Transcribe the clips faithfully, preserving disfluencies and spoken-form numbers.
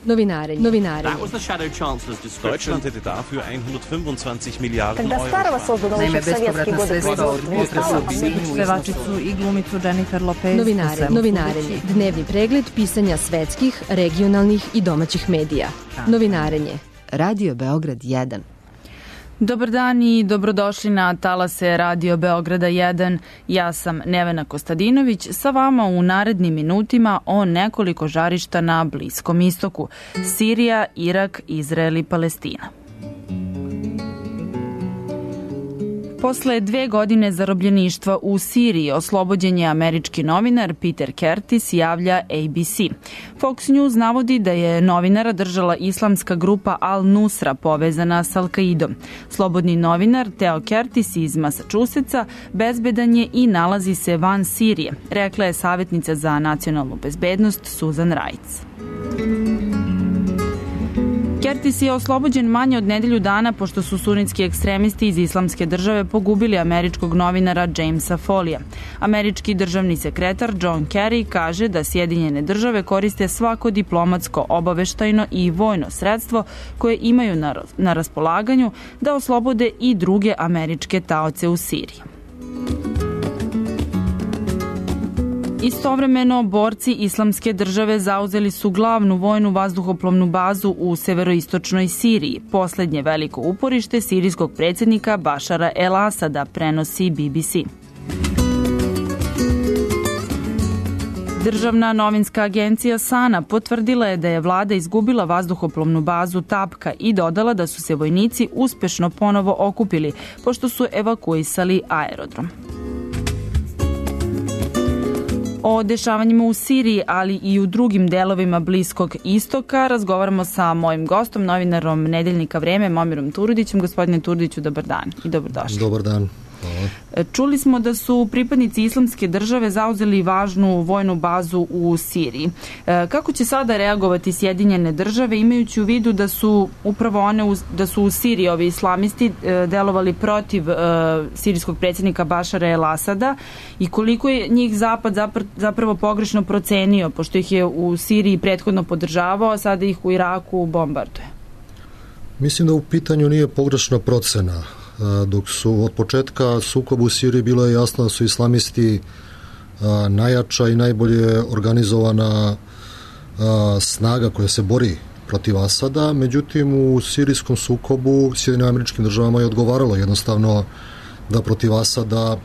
Novinarenje. Novinarenje. Deutschland hätte dafür hundertfünfundzwanzig Milliarden Euro. Naime, bespovratna sredstva od potresa u Sinju, pevačicu i glumicu Jennifer Lopez. Novinarenje. Novinarenje. Dnevni pregled pisanja svetskih, regionalnih i domaćih medija. Novinarenje. Radio Beograd jedan. Dobar dan i dobrodošli na talase Radio Beograda jedan. Ja sam Nevena Kostadinović, sa vama u narednim minutima o nekoliko žarišta na Bliskom istoku. Sirija, Irak, Izrael i Palestina. Posle dve godine zarobljeništva u Siriji oslobođen je američki novinar Peter Curtis, javlja A B C. Fox News navodi da je novinara držala islamska grupa Al-Nusra povezana s Al-Qaidom. Slobodni novinar Theo Curtis iz Massachusettsa bezbedan je i nalazi se van Sirije, rekla je savjetnica za nacionalnu bezbednost Susan Reitz. Curtis je oslobođen manje od nedelju dana pošto su sunitski ekstremisti iz Islamske države pogubili američkog novinara Jamesa Folija. Američki državni sekretar John Kerry kaže da Sjedinjene države koriste svako diplomatsko, obaveštajno i vojno sredstvo koje imaju na, na raspolaganju da oslobode i druge američke taoce u Siriji. Istovremeno, borci Islamske države zauzeli su glavnu vojnu vazduhoplovnu bazu u severoistočnoj Siriji, poslednje veliko uporište sirijskog predsjednika Bašara el-Asada, prenosi B B C. Državna novinska agencija Sana potvrdila je da je vlada izgubila vazduhoplovnu bazu Tapka i dodala da su se vojnici uspešno ponovo okupili, pošto su evakuisali aerodrom. O dešavanjima u Siriji, ali i u drugim delovima Bliskog istoka razgovaramo sa mojim gostom, novinarom Nedeljnika Vreme, Momirom Turudićem. Gospodine Turudiću, dobar dan i dobrodošli. Dobar dan. Hvala. Čuli smo da su pripadnici Islamske države zauzeli važnu vojnu bazu u Siriji. Kako će sada reagovati Sjedinjene države, imajući u vidu da su upravo one, u, da su u Siriji ovi islamisti delovali protiv uh, sirijskog predsjednika Bašara el-Asada i koliko je njih Zapad zapravo pogrešno procenio, pošto ih je u Siriji prethodno podržavao, a sada ih u Iraku bombarduje? Mislim da u pitanju nije pogrešna procena. Dok su od početka sukoba u Siriji bilo je jasno da su islamisti a, najjača i najbolje organizovana a, snaga koja se bori protiv Asada, međutim u sirijskom sukobu Sjedinjenim Američkim Državama je odgovaralo jednostavno da protiv Asada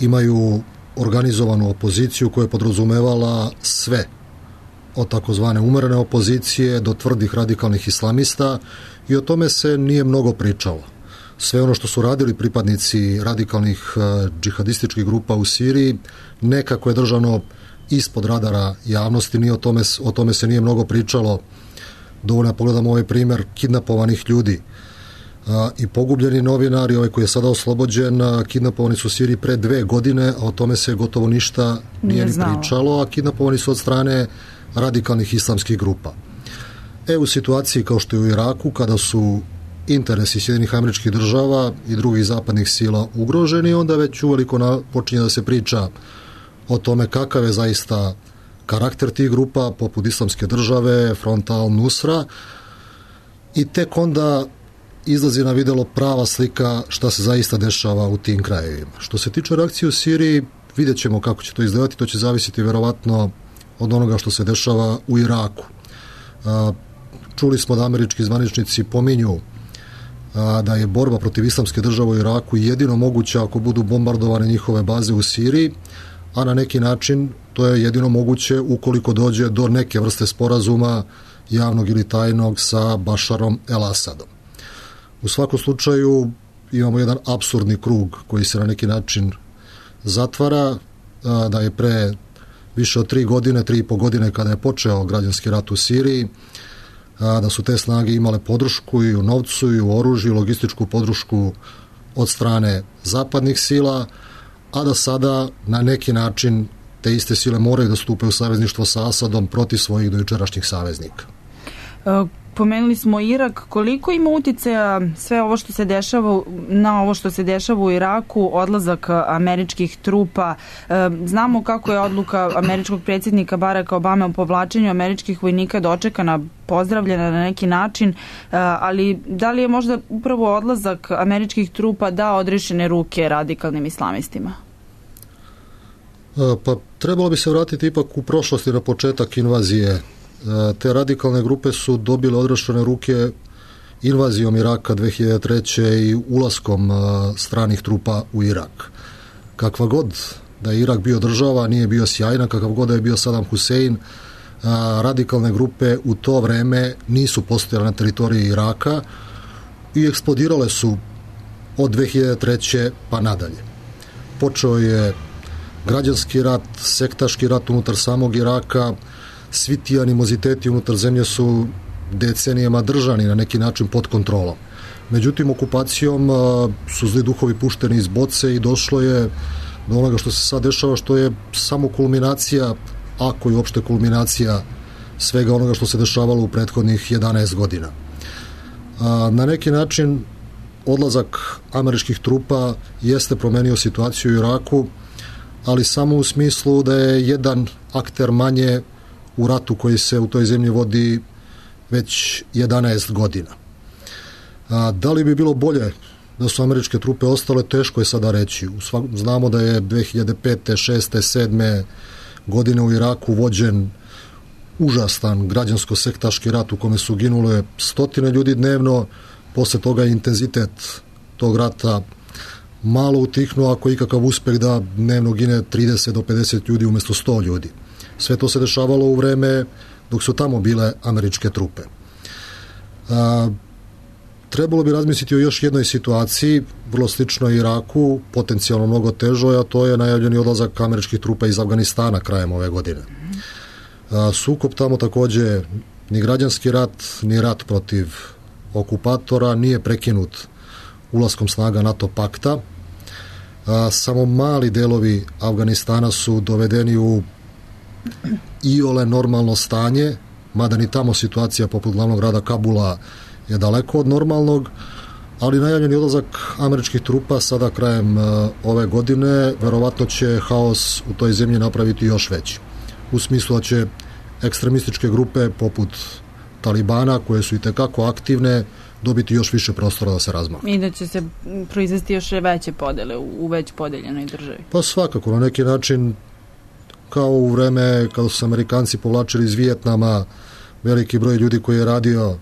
imaju organizovanu opoziciju koja je podrazumevala sve, od takozvane umerene opozicije do tvrdih radikalnih islamista, i o tome se nije mnogo pričalo. Sve ono što su radili pripadnici radikalnih džihadističkih grupa u Siriji nekako je držano ispod radara javnosti, nije o tome, o tome se nije mnogo pričalo. Dovoljno pogledamo ovaj primjer kidnapovanih ljudi a, i pogubljeni novinari, ovaj koji je sada oslobođen, a, kidnapovani su u Siriji pre dve godine, a o tome se gotovo ništa nije, nije ni pričalo, a kidnapovani su od strane radikalnih islamskih grupa. E, u situaciji kao što je u Iraku, kada su interesi Sjedinjenih Američkih Država i drugih zapadnih sila ugroženi, onda već uveliko na, počinje da se priča o tome kakav je zaista karakter tih grupa, poput Islamske države, fronta Al-Nusra, i tek onda izlazi na videlo prava slika šta se zaista dešava u tim krajevima. Što se tiče reakcije u Siriji, vidjet ćemo kako će to izgledati, to će zavisiti verovatno od onoga što se dešava u Iraku. Čuli smo da američki zvaničnici pominju da je borba protiv Islamske države u Iraku jedino moguća ako budu bombardovane njihove baze u Siriji, a na neki način to je jedino moguće ukoliko dođe do neke vrste sporazuma javnog ili tajnog sa Bašarom el-Asadom. U svakom slučaju imamo jedan apsurdni krug koji se na neki način zatvara, da je pre više od tri godine, tri i po godine kada je počeo građanski rat u Siriji, da su te snage imale podršku i u novcu i u oružju, logističku podršku od strane zapadnih sila, a da sada na neki način te iste sile moraju da stupe u savezništvo sa Asadom protiv svojih dojučerašnjih saveznika. pomenuli smo Irak. Koliko ima uticaja sve ovo što se dešava na ovo što se dešava u Iraku, odlazak američkih trupa? Znamo kako je odluka američkog predsjednika Baracka Obame o povlačenju američkih vojnika dočekana, pozdravljena na neki način, ali da li je možda upravo odlazak američkih trupa dao odrešene ruke radikalnim islamistima? Pa trebalo bi se vratiti ipak u prošlosti na početak invazije. Te radikalne grupe su dobile odrešene ruke invazijom Iraka dve hiljade treće. i ulaskom stranih trupa u Irak. Kakva god da je Irak bio država, nije bio sjajna, kakav god da je bio Saddam Hussein, radikalne grupe u to vreme nisu postojale na teritoriji Iraka i eksplodirale su od dve hiljade treće. pa nadalje. Počeo je građanski rat, sektaški rat unutar samog Iraka, svi ti animoziteti unutar zemlje su decenijama držani na neki način pod kontrolom. Međutim, okupacijom su zli duhovi pušteni iz boce i došlo je do onoga što se sad dešava, što je samo kulminacija, ako je uopšte kulminacija svega onoga što se dešavalo u prethodnih jedanaest godina. Na neki način odlazak američkih trupa jeste promenio situaciju u Iraku, ali samo u smislu da je jedan akter manje u ratu koji se u toj zemlji vodi već jedanaest godina. A, da li bi bilo bolje da su američke trupe ostale, teško je sada reći. Znamo da je dve hiljade pete, šeste, sedme godine u Iraku vođen užastan građansko-sektaški rat u kome su ginule stotine ljudi dnevno. Posle toga je intenzitet tog rata malo utihnuo, ako ikakav uspeh da dnevno gine trideset do pedeset ljudi umjesto sto ljudi. Sve to se dešavalo u vreme dok su tamo bile američke trupe. A, trebalo bi razmisliti o još jednoj situaciji, vrlo sličnoj Iraku, potencijalno mnogo težoj, a to je najavljeni odlazak američkih trupa iz Afganistana krajem ove godine. A, sukob tamo takođe, ni građanski rat, ni rat protiv okupatora nije prekinut ulaskom snaga NATO pakta. A, samo mali delovi Afganistana su dovedeni u iole normalno stanje, mada ni tamo situacija poput glavnog grada Kabula je daleko od normalnog, ali najavljeni odlazak američkih trupa sada krajem uh, ove godine verovatno će haos u toj zemlji napraviti još veći. U smislu da će ekstremističke grupe poput Talibana, koje su i tekako aktivne, dobiti još više prostora da se razmahnu. I da će se proizvesti još veće podele u, u već podeljenoj državi. Pa svakako, na neki način kao u vreme kada su se Amerikanci povlačili iz Vijetnama, veliki broj ljudi koji je radio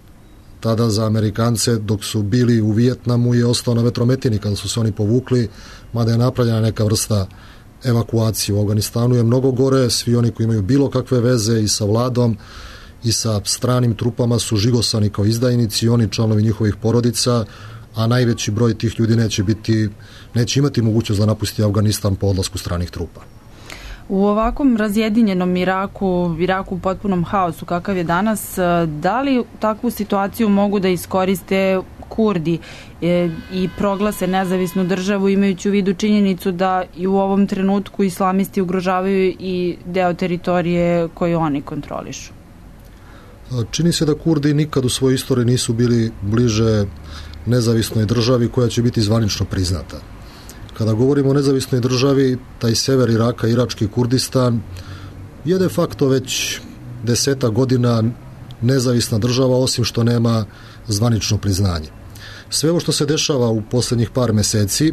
tada za Amerikance dok su bili u Vijetnamu je ostao na vetrometini kada su se oni povukli, mada je napravljena neka vrsta evakuacije. U Afganistanu je mnogo gore, svi oni koji imaju bilo kakve veze i sa vladom i sa stranim trupama su žigosani kao izdajnici i oni članovi njihovih porodica, a najveći broj tih ljudi neće biti, neće imati mogućnost da napusti Afganistan po odlasku stranih trupa. U ovakvom razjedinjenom Iraku, Iraku u potpunom haosu kakav je danas, da li takvu situaciju mogu da iskoriste Kurdi e, i proglase nezavisnu državu imajući u vidu činjenicu da i u ovom trenutku islamisti ugrožavaju i deo teritorije koju oni kontrolišu? Čini se da Kurdi nikad u svojoj istoriji nisu bili bliže nezavisnoj državi koja će biti zvanično priznata. Kada govorimo o nezavisnoj državi, taj sever Iraka, irački Kurdistan, je de facto već deseta godina nezavisna država, osim što nema zvanično priznanje. Sve ovo što se dešava u posljednjih par meseci,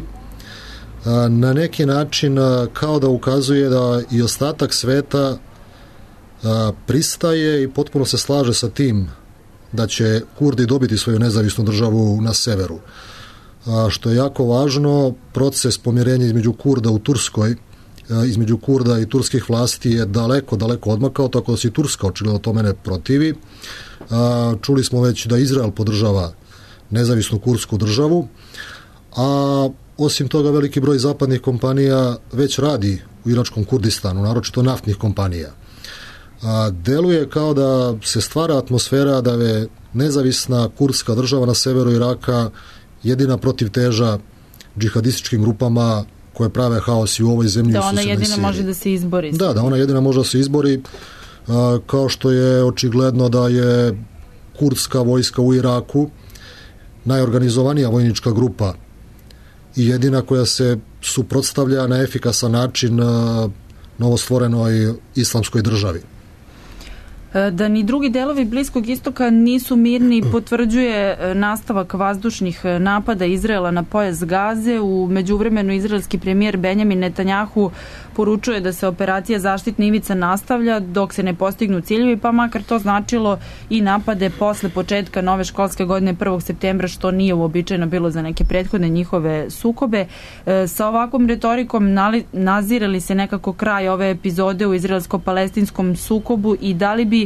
na neki način kao da ukazuje da i ostatak sveta pristaje i potpuno se slaže sa tim da će Kurdi dobiti svoju nezavisnu državu na severu. A što je jako važno, proces pomirenja između Kurda u Turskoj, između Kurda i turskih vlasti je daleko, daleko odmakao, tako da se i Turska očigledno tome ne protivi. A, čuli smo već da Izrael podržava nezavisnu kurdsku državu, a osim toga veliki broj zapadnih kompanija već radi u iračkom Kurdistanu, naročito naftnih kompanija. A, deluje kao da se stvara atmosfera da je nezavisna kurdska država na severu Iraka jedina protivteža džihadističkim grupama koje prave haos i u ovoj zemlji. Da ona jedina može da se izbori. Da, da ona jedina može da se izbori, a, kao što je očigledno da je kurdska vojska u Iraku, najorganizovanija vojnička grupa i jedina koja se suprotstavlja na efikasan način novostvorenoj islamskoj državi. Da ni drugi delovi Bliskog istoka nisu mirni potvrđuje nastavak vazdušnih napada Izraela na pojas Gaze. U međuvremenu izraelski premijer Benjamin Netanjahu poručuje da se operacija zaštitna ivica nastavlja dok se ne postignu ciljevi, pa makar to značilo i napade posle početka nove školske godine prvog septembra, što nije uobičajeno bilo za neke prethodne njihove sukobe. Sa ovakvom retorikom nazire li se nekako kraj ove epizode u izraelsko-palestinskom sukobu i da li bi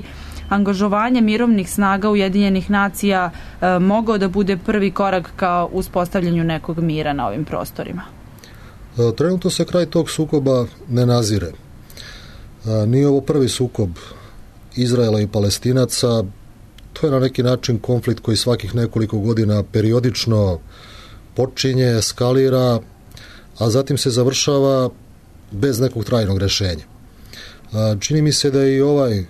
angažovanje mirovnih snaga Ujedinjenih nacija e, mogao da bude prvi korak ka uspostavljanju nekog mira na ovim prostorima? E, trenutno se kraj tog sukoba ne nazire. E, nije ovo prvi sukob Izraela i Palestinaca. To je na neki način konflikt koji svakih nekoliko godina periodično počinje, eskalira, a zatim se završava bez nekog trajnog rešenja. E, čini mi se da je i ovaj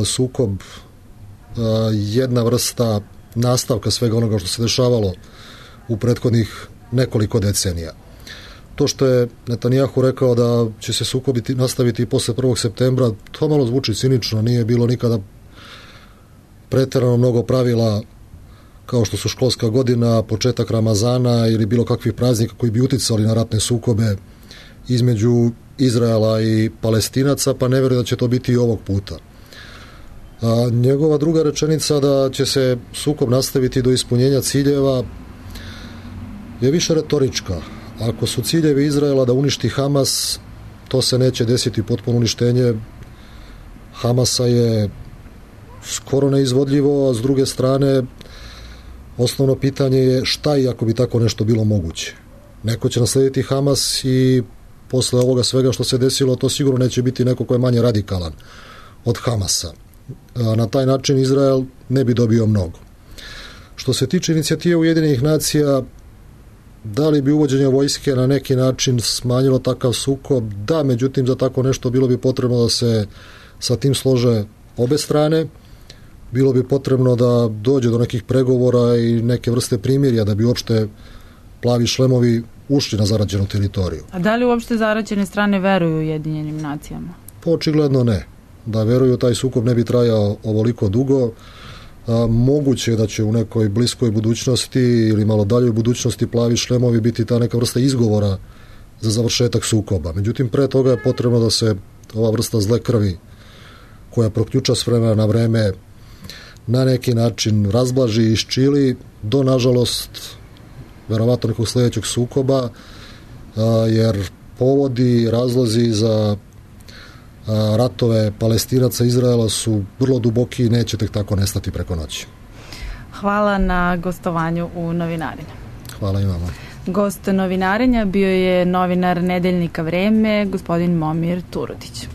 sukob jedna vrsta nastavka svega onoga što se dešavalo u prethodnih nekoliko decenija. To što je Netanjahu rekao da će se sukobiti, nastaviti i posle prvog septembra, to malo zvuči cinično, nije bilo nikada preterano mnogo pravila kao što su školska godina, početak Ramazana ili bilo kakvih praznika koji bi uticali na ratne sukobe između Izraela i Palestinaca, pa ne verujem da će to biti i ovog puta. A njegova druga rečenica da će se sukob nastaviti do ispunjenja ciljeva je više retorička. Ako su ciljevi Izraela da uništi Hamas, to se neće desiti. Potpuno uništenje Hamasa je skoro neizvodljivo, a s druge strane osnovno pitanje je šta i ako bi tako nešto bilo moguće. Neko će naslediti Hamas i posle ovoga svega što se desilo, to sigurno neće biti neko ko je manje radikalan od Hamasa. Na taj način Izrael ne bi dobio mnogo. Što se tiče inicijative Ujedinjenih nacija, da li bi uvođenje vojske na neki način smanjilo takav sukob? Da, međutim za tako nešto bilo bi potrebno da se sa tim slože obe strane, bilo bi potrebno da dođe do nekih pregovora i neke vrste primirja da bi uopšte plavi šlemovi ušli na zarađenu teritoriju. A da li uopšte zarađene strane veruju Ujedinjenim nacijama? Pa očigledno ne. Da veruju taj sukob ne bi trajao ovoliko dugo. A, moguće je da će u nekoj bliskoj budućnosti ili malo daljoj budućnosti plavi šlemovi biti ta neka vrsta izgovora za završetak sukoba. Međutim, pre toga je potrebno da se ova vrsta zle krvi koja proključa s vremena na vreme na neki način razblaži i iščili do, nažalost, verovatno nekog sledećeg sukoba, a, jer povodi, razlozi za ratove Palestinaca i Izraela su vrlo duboki i neće tek tako nestati preko noći. Hvala na gostovanju u Novinarenju. Hvala i vama. Gost Novinarenja bio je novinar Nedeljnika Vreme, gospodin Momir Turudić.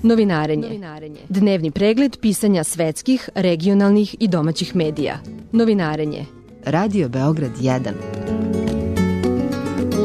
Novinarenje. Dnevni pregled pisanja svetskih, regionalnih i domaćih medija. Novinarenje. Radio Beograd jedan.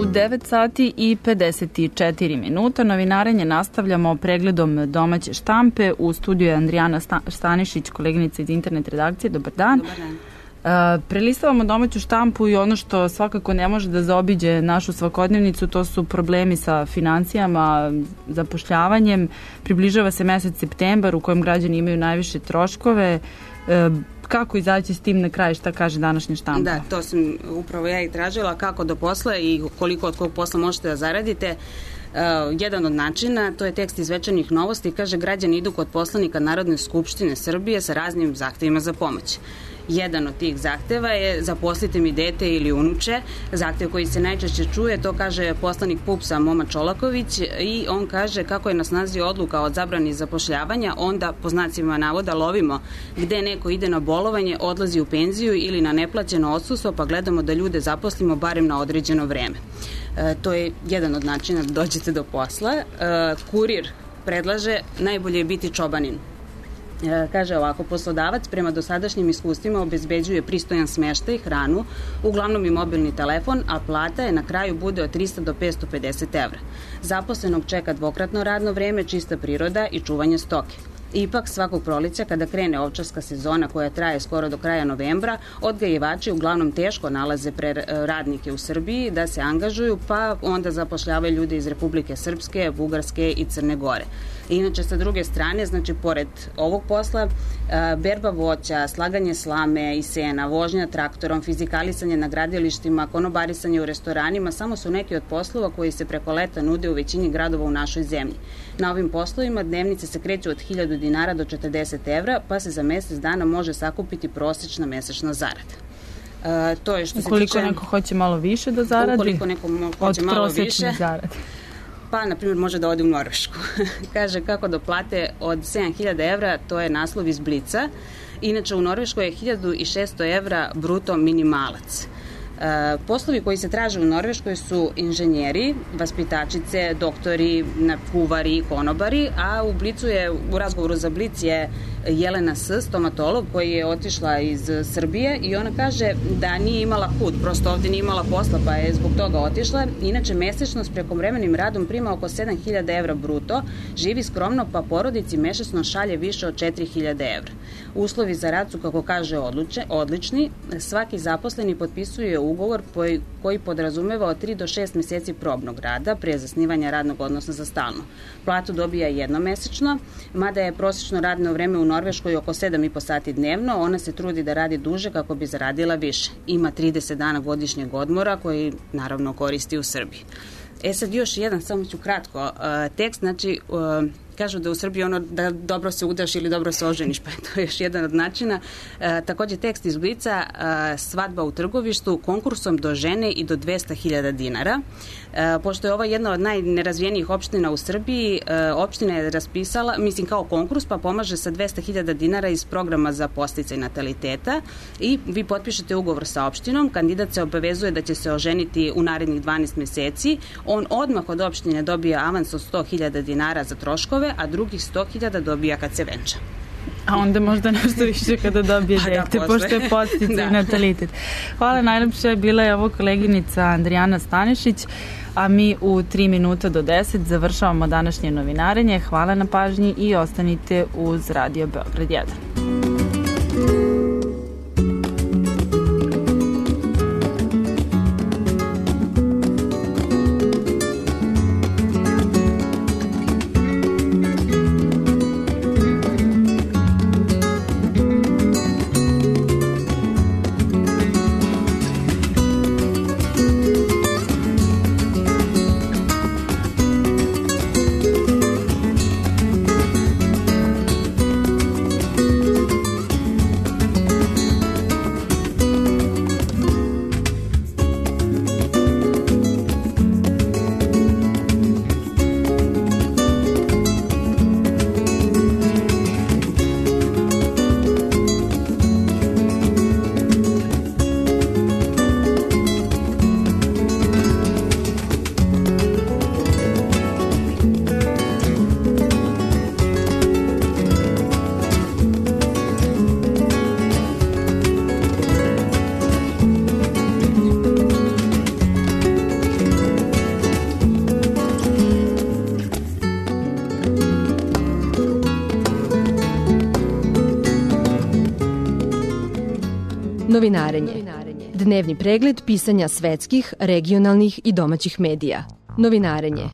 U devet sati i pedeset četiri minuta novinarenje nastavljamo pregledom domaće štampe. U studiju je Andrijana Stanišić, koleginica iz internet redakcije. Dobar dan. Dobar dan. Uh, prelistavamo domaću štampu i ono što svakako ne može da zaobiđe našu svakodnevnicu, to su problemi sa financijama, zapošljavanjem. Približava se mesec septembar u kojem građani imaju najviše troškove. Uh, kako izaći s tim na kraj, šta kaže današnja štampa? Da, to sam upravo ja i tražila, kako do posla i koliko od kog posla možete da zaradite. Uh, jedan od načina, to je tekst iz Večernjih novosti, kaže građani idu kod poslanika Narodne skupštine Srbije sa raznim zahtevima za pomoć. Jedan od tih zahteva je zaposlite mi dete ili unuče. Zahtev koji se najčešće čuje, to kaže poslanik P U P S-a Moma Čolaković i on kaže kako je na snazi odluka o zabrani zapošljavanja, onda po znacima navoda lovimo gde neko ide na bolovanje, odlazi u penziju ili na neplaćeno odsustvo, pa gledamo da ljude zaposlimo barem na određeno vreme. E, to je jedan od načina da dođete do posla. E, kurir predlaže najbolje je biti čobanin. E, kaže ovako, poslodavac prema dosadašnjim iskustvima obezbeđuje pristojan smeštaj, hranu, uglavnom i mobilni telefon, a plata je na kraju bude od trista do petsto pedeset evra. Zaposlenog čeka dvokratno radno vreme, čista priroda i čuvanje stoke. Ipak, svakog proleća, kada krene ovčarska sezona koja traje skoro do kraja novembra, odgajivači uglavnom teško nalaze pre radnike u Srbiji da se angažuju, pa onda zapošljavaju ljude iz Republike Srpske, Bugarske i Crne Gore. Inače, sa druge strane, znači, pored ovog posla, berba voća, slaganje slame i sena, vožnja traktorom, fizikalisanje na gradilištima, konobarisanje u restoranima, samo su neki od poslova koji se preko leta nude u većini gradova u našoj zemlji. Na ovim poslovima dnevnice se kreću od hiljadu dinara do četrdeset evra, pa se za mesec dana može sakupiti prosečna mesečna zarada. Uh, to je što se ukoliko tiče, neko hoće malo više da zaradi? Ukoliko neko hoće malo više. Od prosečne zarade. Pa, na primjer, može da ode u Norvešku. Kaže kako do plate od sedam hiljada evra, to je naslov iz Blica. Inače, u Norveškoj je hiljadu šessto evra bruto minimalac. E, poslovi koji se traže u Norveškoj su inženjeri, vaspitačice, doktori, kuvari, konobari, a u Blicu je, u razgovoru za Blic je Jelena S., stomatolog koji je otišla iz Srbije i ona kaže da nije imala hud, prosto ovde nije imala posla pa je zbog toga otišla. Inače, mesečno s prekovremenim radom prima oko sedam hiljada evra bruto, živi skromno pa porodici mesečno šalje više od četiri hiljade evra. Uslovi za rad su, kako kaže, odluče, odlični. Svaki zaposleni potpisuje ugovor koji, koji podrazumeva od tri do šest meseci probnog rada pre zasnivanja radnog odnosa za stalno. Platu dobija jednomesečno, mada je prosečno radno vreme u Norveškoj oko sedam i po sati dnevno, ona se trudi da radi duže kako bi zaradila više. Ima trideset dana godišnjeg odmora koji naravno koristi u Srbiji. E sad još jedan, samo ću kratko, uh, tekst, znači uh, kažu da u Srbiji ono da dobro se udaš ili dobro se oženiš, pa je to još jedan od načina. E, takođe tekst iz Blica, e, svadba u Trgovištu konkursom do žene i do dvesta hiljada dinara. E, pošto je ovo jedna od najnerazvijenijih opština u Srbiji, e, opština je raspisala, mislim kao konkurs, pa pomaže sa dvesta hiljada dinara iz programa za podsticaj nataliteta i vi potpišete ugovor sa opštinom, kandidat se obavezuje da će se oženiti u narednih dvanaest meseci, on odmah od opštine dobija avans od sto hiljada dinara za troškove, a drugih sto hiljada dobija kad se venča. A onda možda nešto više kada dobije dete, da, pošto je podsticaj da. natalitet. Hvala najlepše, bila je ovo koleginica Andrijana Stanišić, a mi u tri minuta do deset završavamo današnje novinarenje. Hvala na pažnji i ostanite uz Radio Beograd jedan. Novinarenje. Dnevni pregled pisanja svetskih, regionalnih i domaćih medija. Novinarenje.